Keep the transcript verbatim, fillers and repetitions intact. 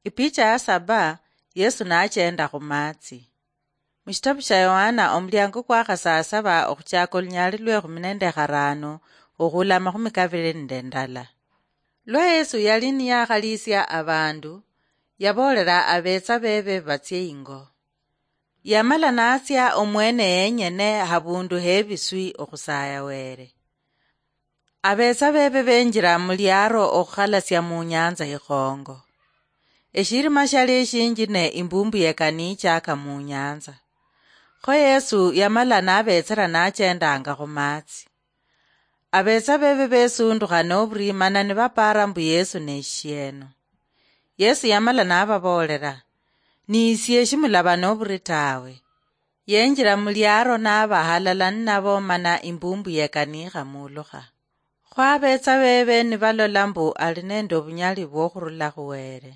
Ipicha ya saba, Yesu nachenda khumatsi. Mushitabu sha Yohana, omuliango kwa khasasaba okhuchaka olunyali lwe khumi nende kharano, okhula amakhumi kabili nende ndala. Lwa Yesu yali niyakhalisia abandu, yaboolera abetsa bebe batsie ingo. Yamala natsia omwene yenyene habundu hebiswi okhusaya Were. Abetsa bebe benjira muliaro okhukhalatsia munyanza ikhongo. Eshirima shali eshinji ne imbumbu yekanichaka munyanza. Kho Yesu yamala nabetsera nachendanga khumatsi. Abetsa bebe besundukha noburi mana nibapara mbu Yesu neshieno. Yesu yamala nababoolera, "Niisie, shimulaba noburi tawe." Yenjira muliaro naba halala ninabo mana imbumbu yekanikha mulukha. Khwabetsa bebe nibalola mbu ali nende obunyali bwokhurula khuwere.